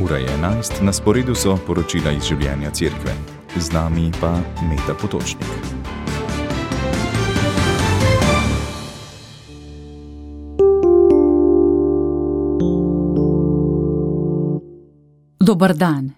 Ura je 11, na sporedu so poročila iz življenja cerkve. Z nami pa Meta Potočnik. Dober dan.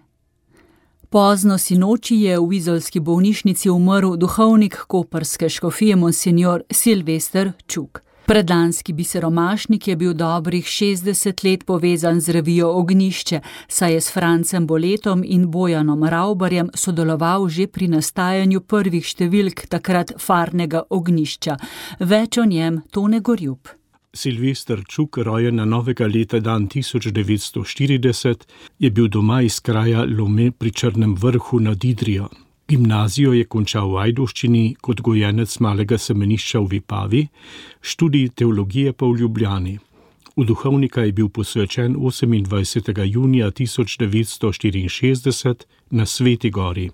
Pozno sinoči je v izolski bolnišnici umrl duhovnik koprske škofije monsinjor Silvester Čuk. Predlanski biseromašnik je bil dobrih 60 let povezan z revijo Ognjišče, saj je s Francem Boletom in Bojanom Ravbarjem sodeloval že pri nastajanju prvih številk takrat farnega Ognjišča. Več o njem Tone Gorjup. Silvester Čuk, rojen na novega leta dan 1940, je bil doma iz kraja Lome pri Črnem vrhu nad Idrijo. Gimnazijo je končal v Ajdovščini kot gojenec malega semenišča v Vipavi, študij teologije pa v Ljubljani. V duhovnika je bil posvečen 28. junija 1964 na Sveti gori.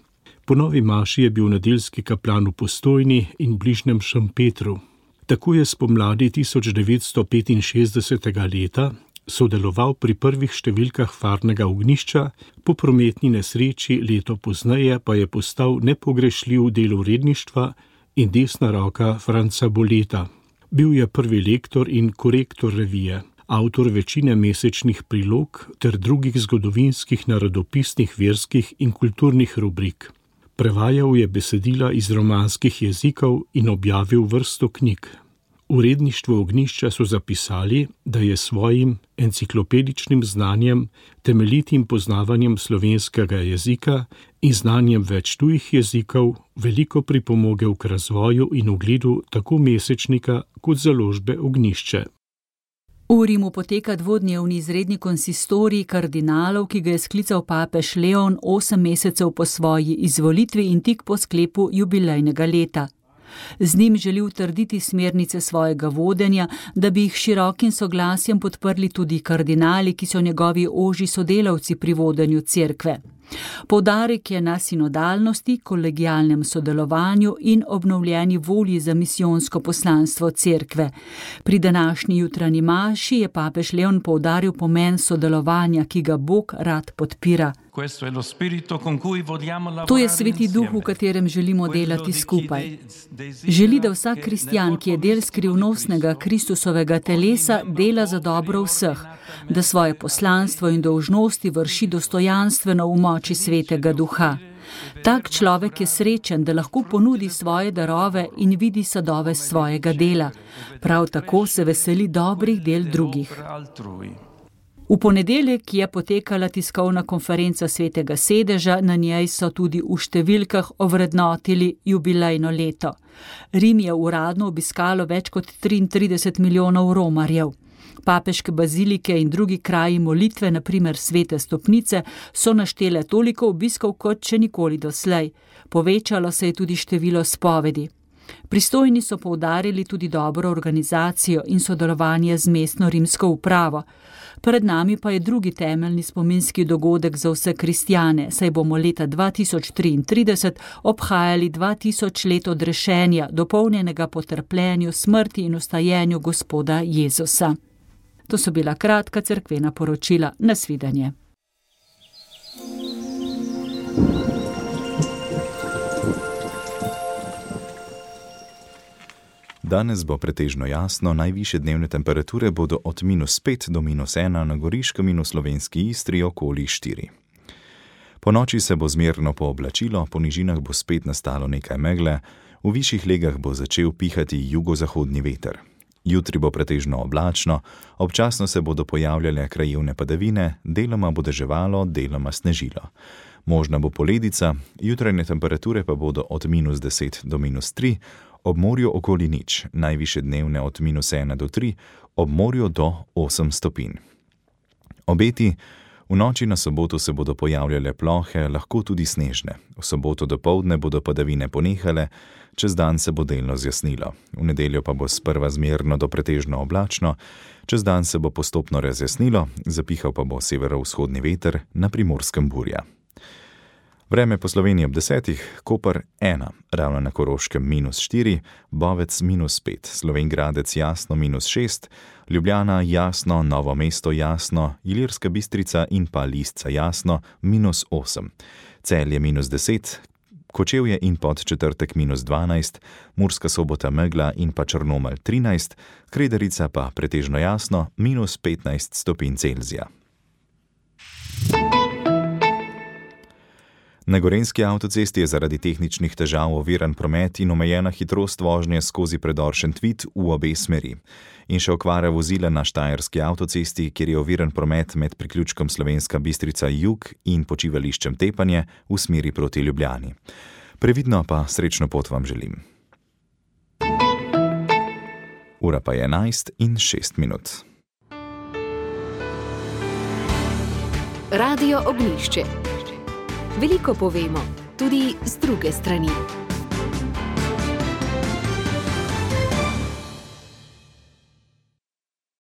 Po novi maši je bil nedeljski kaplan v Postojni in bližnjem Šempetru. Tako je spomladi 1965. leta sodeloval pri prvih številkah farnega Ognjišča, po prometni nesreči leto pozneje pa je postal nepogrešljiv del uredništva in desna roka Franca Boleta. Bil je prvi lektor in korektor revije, avtor večine mesečnih prilog ter drugih zgodovinskih, narodopisnih, verskih in kulturnih rubrik. Prevajal je besedila iz romanskih jezikov in objavil vrsto knjig. V uredništvu Ognjišča so zapisali, da je svojim enciklopedičnim znanjem, temeljitim poznavanjem slovenskega jezika in znanjem več tujih jezikov veliko pripomogel k razvoju in ugledu tako mesečnika kot založbe Ognjišče. V Rimu poteka dvodnevni izredni konsistorij kardinalov, ki ga je sklical papež Leon 8 mesecev po svoji izvolitvi in tik po sklepu jubilejnega leta. Z njim želi utrditi smernice svojega vodenja, da bi jih širokim soglasjem podprli tudi kardinali, ki so njegovi ožji sodelavci pri vodenju cerkve. Poudarek je na sinodalnosti, kolegialnem sodelovanju in obnovljeni volji za misijonsko poslanstvo cerkve. Pri današnji jutranji maši je papež Leon poudaril pomen sodelovanja, ki ga Bog rad podpira. To je Sveti Duh, v katerem želimo delati skupaj. Želi, da vsak kristjan, ki je del skrivnostnega Kristusovega telesa, dela za dobro vseh, da svoje poslanstvo in dolžnosti vrši dostojanstveno v moči Svetega Duha. Tak človek je srečen, da lahko ponudi svoje darove in vidi sadove svojega dela. Prav tako se veseli dobrih del drugih. V ponedeljek je potekala tiskovna konferenca Svetega sedeža, na njej so tudi v številkah ovrednotili jubilejno leto. Rim je uradno obiskalo več kot 33 milijonov romarjev. Papeške bazilike in drugi kraji molitve, na primer Svete stopnice, so naštele toliko obiskov kot še nikoli doslej. Povečalo se je tudi število spovedi. Pristojni so poudarili tudi dobro organizacijo in sodelovanje z mestno rimsko upravo. Pred nami pa je drugi temeljni spominski dogodek za vse kristjane, saj bomo leta 2033 obhajali 2000 let odrešenja, dopolnjenega po trpljenju, smrti in vstajenju Gospoda Jezusa. To so bila kratka cerkvena poročila. Nasvidenje. Danes bo pretežno jasno, najvišje dnevne temperature bodo od -5 do -1 na Goriškem in v slovenski Istri okoli 4. Po noči se bo zmerno pooblačilo, po nižinah bo spet nastalo nekaj megle, v višjih legah bo začel pihati jugozahodni veter. Jutri bo pretežno oblačno, občasno se bodo pojavljale krajevne padavine, deloma bo deževalo, deloma snežilo. Možna bo poledica, jutranje temperature pa bodo od -10 do -3, ob morju okoli 0, najvišje dnevne od -1 do 3, ob morju do 8 stopinj. Obeti: v noči na soboto se bodo pojavljale plohe, lahko tudi snežne. V soboto dopoldne bodo padavine ponehale, čez dan se bo delno zjasnilo. V nedeljo pa bo sprva zmerno do pretežno oblačno, čez dan se bo postopno razjasnilo, zapihal pa bo severovzhodni veter, na Primorskem burja. Vreme po Sloveniji ob 10, Koper 1, Ravno na Koroškem -4, Bovec -5, Slovenj Gradec jasno -6, Ljubljana jasno, Novo mesto jasno, Ilirska Bistrica in pa Lisca jasno -8, Celje -10, Kočevje in Podčetrtek -12, Murska Sobota megla in pa Črnomelj 13, Krederica pa pretežno jasno -15 stopinj Celzija. Na Gorenjski avtocesti je zaradi tehničnih težav oviran promet in omejena hitrost vožnje skozi predor Šentvid v obe smeri. In še okvara vozila na Štajerski avtocesti, kjer je oviran promet med priključkom Slovenska Bistrica jug in počivališčem Tepanje v smeri proti Ljubljani. Previdno pa srečno pot vam želim. Ura pa je 11:06. Radio Ognjišče. Veliko povemo, tudi z druge strani.